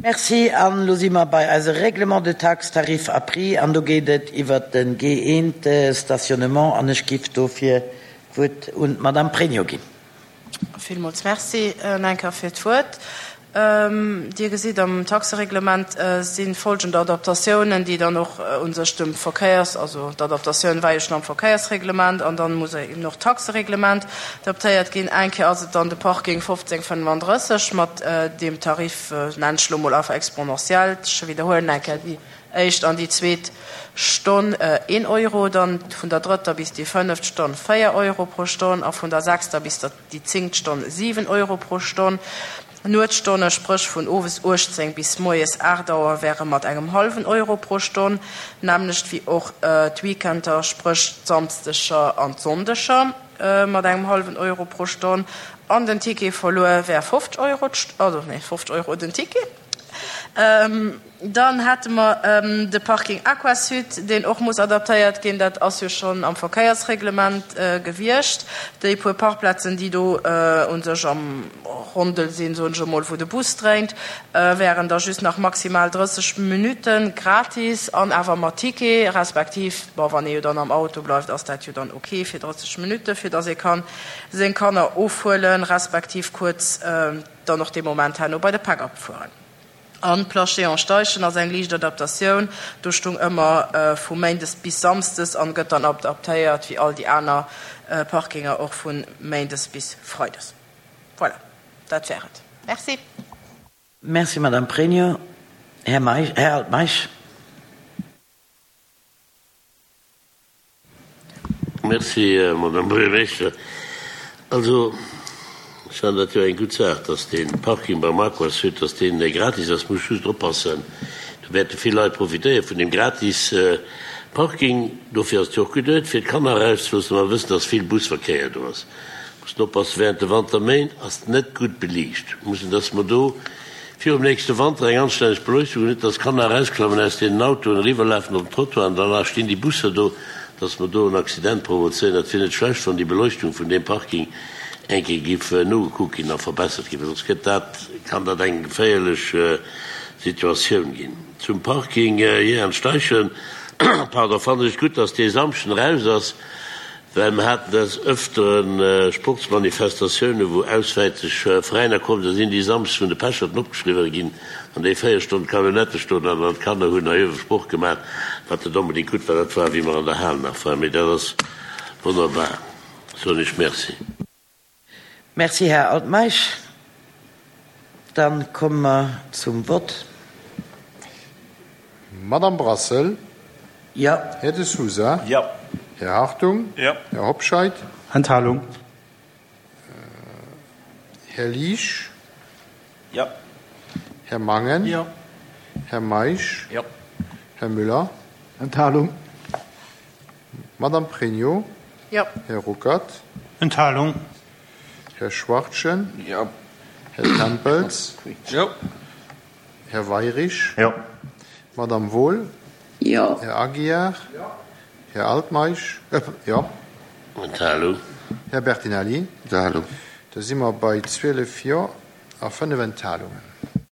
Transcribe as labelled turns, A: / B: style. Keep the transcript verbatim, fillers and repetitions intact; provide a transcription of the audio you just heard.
A: Merci. An elo si mer bei eise Règlement de taxes, tarifs a prix an do geet et iwwert de G eent Stationnement an ech giff dofir d'Wuert un d'Madame Pregno ginn.
B: Villmools Merci eng Kéier fir d'Wuert. Dir gesitt, am Taxereglement si folgend Adaptatiounen, déi dann och u sech dem Verkéiers-, also d'Adaptatioun war jo schonn am Verkéiersreglement an dann muss eben och d'Taxereglement adaptéiert ginn. Eng Kéier ass et dann de Parking fofzéng fënnefandrësseg mat deem Tarif, nennen ech elo mol einfach exponentiell, ech widderhuelen eng Kéier, déi éischt an déi zweet Stonn een Euro, dann vun der drëtter bis déi fënneft Stonn véier Euro pro Stonn a vun der sechster bis der déi zéngt Stonn siwen Euro pro Stonn. Nuetsstonne, spréch vun owes uechtzéng bis moies aacht Auer, wäre mat engem hallwen Euro pro Stonn, nämmlecht wéi och d'Weekender, spréch d'Samsdeger an d'Sonndeger, mat engem hallwen Euro pro Stonn. An den Ticket verluer wär fofzeg Euro d'St-, also nee, fofzeg Euro den Ticket. Dann hätte mer de Parking Aquasud, deen och muss adaptéiert ginn. Dat ass jo schonn am Verkéiersreglement gewiescht. Déi puer Parkplazen, déi do u sech am Rondel sinn, soen ech emol, wou de Bus dréint, wären da just nach maximal drësseg Minutte gratis an awer mat Ticket, respektiv, bon, wann ee jo dann am Auto bleift, ass dat jo dann ok fir drësseg Minutte, fir datt ee ka seng Kanner ofhuelen, respektiv kuerz dann och dee Moment herno bei de Pack-up fueren. An d'Place Jehan Steichen ass eng liicht Adaptatioun, do stung ëmmer vu méindes bis samsdes an gëtt dann adaptéiert wéi all déi aner Parkinger och vu méindes bis freides. Voilà, dat wär et. Merci.
A: Merci, Madame Pregno. Här Meisch, Här Altmeisch.
C: Merci, Madame Buergermeeschter. Also, ech fannen dat jo eng gutt Saach, dass dee Parking beim Aquasud, dass deen gratis ass. Muss just oppassen, do wäerte vill Leit profitéiere vun deem gratis Parking. Dofir ass et jo och geduet, fir d'Kanner erauszeloossen. Mer wëssen, dass vill Busverkéier do ass. Mussen oppassen, während de Wanterméint ass et net gutt beliicht. Mussen, dass mer do virum nächste Wanter eng anstänneg Beleuchtung hunn, net dass d'Kanner erausklammen aus deenen Autoen, eriwwerlafen op den Trottoir an dann stinn déi Busser do, dass mer do en Accident provozéieren. Dat wier net schlecht, wann déi Beleuchtung vun deem Parking eng Kéier giff nogekuckt ginn a verbessert ginn, well soss gëtt dat, kann dat eng geféierlech Situatioun ginn. Zum Parking hier an Steichen, pardon, fannen ech gutt, dass dee Samschden eraus ass, well mer haten des Öfteren Sportsmanifestatiounen, wou auswäerteg Veräiner kommen, da sinn déi samschdes vun de Pecherten opgeschriwwen ginn an déi véier Stonnen d'Camionnette stoen an an d'Kanner hunn hei uewe Sport gemaach, wat net onbedéngt gutt war. Dat war, wéi mer an der Hal nach waren, mee dat ass wonnerbar, soen ech Merci.
A: Merci, Här Altmeisch. Dann komme mer zum Vott.
D: Madame Brassel.
A: Jo.
D: Här De Sousa.
E: Jo.
D: Här Hartung.
E: Jo.
D: Här Hobscheit.
F: Enthalung.
D: Här Liesch.
E: Jo.
D: Här Mangen.
E: Jo.
D: Här Meisch.
E: Jo.
D: Här Müller.
G: Enthalung.
D: Madame Pregno.
B: Jo.
D: Här Ruckert.
F: Enthalung.
D: Här Schwachtgen.
E: Jo.
D: Här Tempels.
E: Jo.
D: Här Weirich.
F: Jo.
D: Madame Wohl.
H: Jo.
D: Här Aguiar.
E: Jo.
D: Här Altmeisch. Äh, jo.
C: Enthalung.
D: Här Bertinelli.
G: Enthalung.
D: Da si mer bei zwielef Jo a fënnef Enthalungen.